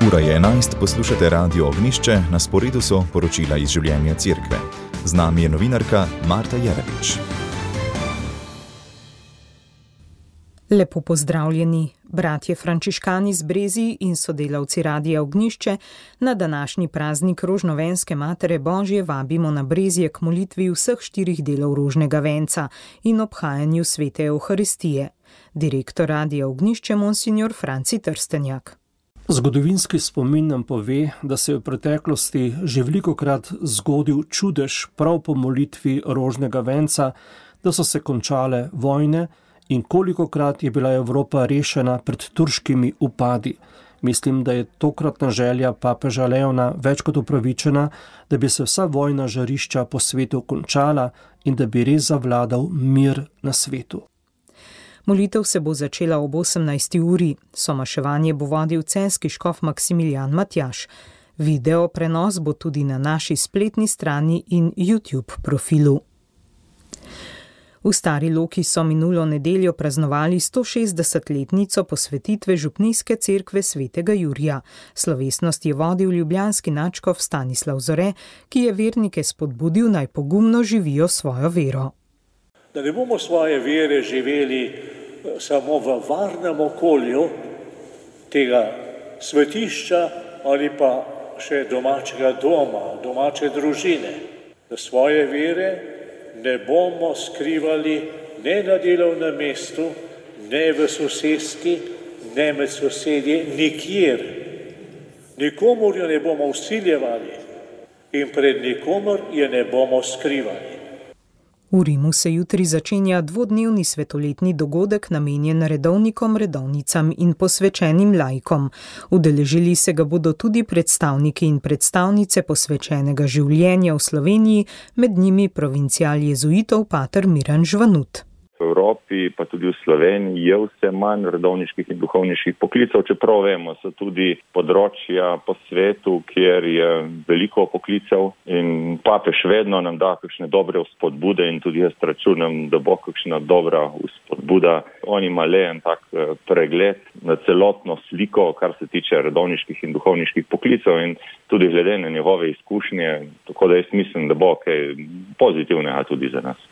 Ura je 11, poslušate Radio Ognjišče, na sporedu so poročila iz življenja cerkve. Z nami je novinarka Marta Jerebič. Lepo pozdravljeni, bratje frančiškani z Brezij in sodelavci Radia Ognjišče, na današnji praznik Rožnovenske Matere Božje vabimo na Brezje k molitvi vseh 4 delov rožnega venca in obhajanju svete Evharistije. Direktor Radia Ognjišče monsignor Franci Trstenjak. Zgodovinski spomin nam pove, da se je v preteklosti že velikokrat zgodil čudež prav po molitvi rožnega venca, da so se končale vojne in kolikokrat je bila Evropa rešena pred turškimi upadi. Mislim, da je tokratna želja papeža Leona več kot upravičena, da bi se vsa vojna žarišča po svetu končala in da bi res zavladal mir na svetu. Molitev se bo začela ob 18. uri. Somaševanje bo vodil celjski škof Maksimilijan Matjaž. Video prenos bo tudi na naši spletni strani in YouTube profilu. V Stari Loki so minulo nedeljo praznovali 160-letnico posvetitve župnijske cerkve svetega Jurija. Slovesnost je vodil ljubljanski nadškof Stanislav Zore, ki je vernike spodbudil, naj pogumno živijo svojo vero. Da ne bomo svoje vere živeli samo v varnem okolju tega svetišča ali pa še domačega doma, domače družine. Da svoje vere ne bomo skrivali ne na delovnem mestu, ne v soseski, ne med sosedje, nikjer. Nikomur jo ne bomo vsiljevali in pred nikomur jo ne bomo skrivali. V Rimu se jutri začenja dvodnevni svetoletni dogodek namenjen redovnikom, redovnicam in posvečenim laikom. Udeležili se ga bodo tudi predstavniki in predstavnice posvečenega življenja v Sloveniji, med njimi provincial jezuitov pater Miran Žvanut. V Evropi, pa tudi v Sloveniji, je vse manj redovniških in duhovniških poklicev, čeprav vemo, so tudi področja po svetu, kjer je veliko poklicev in papež vedno nam da kakšne dobre vzpodbude in tudi jaz računam, da bo kakšna dobra vzpodbuda. On ima le en tak pregled na celotno sliko, kar se tiče redovniških in duhovniških poklicev in tudi glede na njegove izkušnje, tako da jaz mislim, da bo kaj pozitivnega tudi za nas.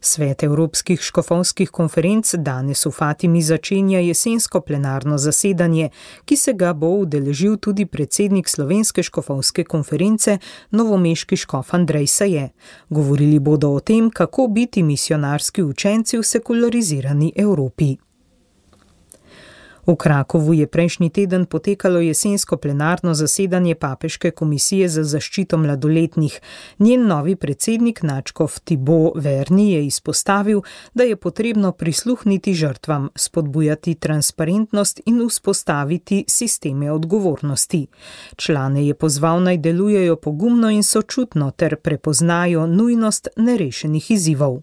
Svet Evropskih škofovskih konferenc danes v Fatimi začenja jesensko plenarno zasedanje, ki se ga bo udeležil tudi predsednik Slovenske škofovske konference, novomeški škof Andrej Saje. Govorili bodo o tem, kako biti misionarski učenci v sekularizirani Evropi. V Krakovu je prejšnji teden potekalo jesensko plenarno zasedanje Papeške komisije za zaščito mladoletnih. Njen novi predsednik nadškof Thibaut Verny je izpostavil, da je potrebno prisluhniti žrtvam, spodbujati transparentnost in vzpostaviti sisteme odgovornosti. Člane je pozval, naj delujejo pogumno in sočutno ter prepoznajo nujnost nerešenih izzivov.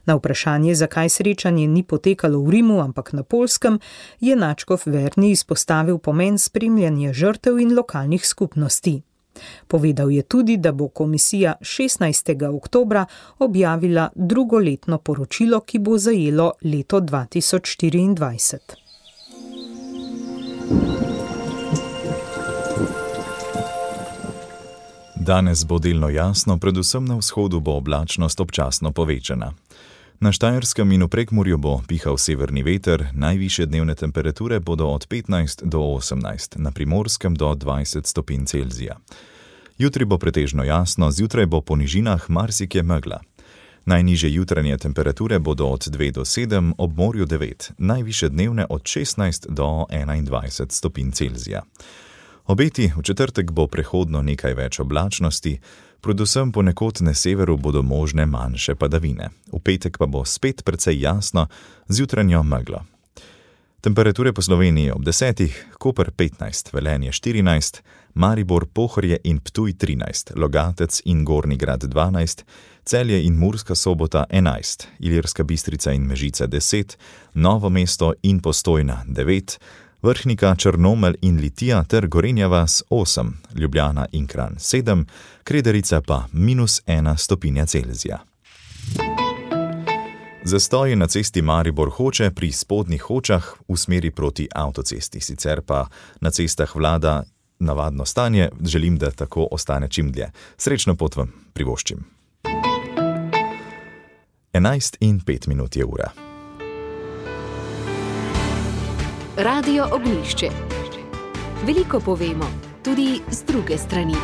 Na vprašanje, zakaj srečanje ni potekalo v Rimu, ampak na Poljskem, je nadškof Verny izpostavil pomen spremljanja žrtev in lokalnih skupnosti. Povedal je tudi, da bo komisija 16. oktobra objavila drugoletno poročilo, ki bo zajelo leto 2024. Danes bo delno jasno, predvsem na vzhodu bo oblačnost občasno povečana. Na Štajerskem in v Prekmurju bo pihal severni veter, najvišje dnevne temperature bodo od 15 do 18, na Primorskem do 20 stopinj Celzija. Jutri bo pretežno jasno, zjutraj bo po nižinah marsikje megla. Najnižje jutranje temperature bodo od 2 do 7, ob morju 9, najvišje dnevne od 16 do 21 stopinj Celzija. Obeti v četrtek bo prehodno nekaj več oblačnosti, predvsem ponekod na severu bodo možne manjše padavine. V petek pa bo spet precej jasno z jutranjo meglo. Temperature po Sloveniji ob 10, Koper 15, Velenje 14, Maribor, Pohorje in Ptuj 13, Logatec in Gornji Grad 12, Celje in Murska Sobota 11, Ilirska Bistrica in Mežica 10, Novo mesto in Postojna 9, Vrhnika, Črnomelj in Litija ter Gorenja vas 8, Ljubljana in Kranj 7, Krederica pa -1 stopinja Celzija. Zastoji na cesti Maribor-Hoče pri spodnjih Hočah v smeri proti avtocesti, sicer pa na cestah vlada navadno stanje, želim, da tako ostane čim dlje. Srečno pot vam privoščim. 11:05 je ura. Radio Ognjišče. Veliko povemo, tudi z druge strani.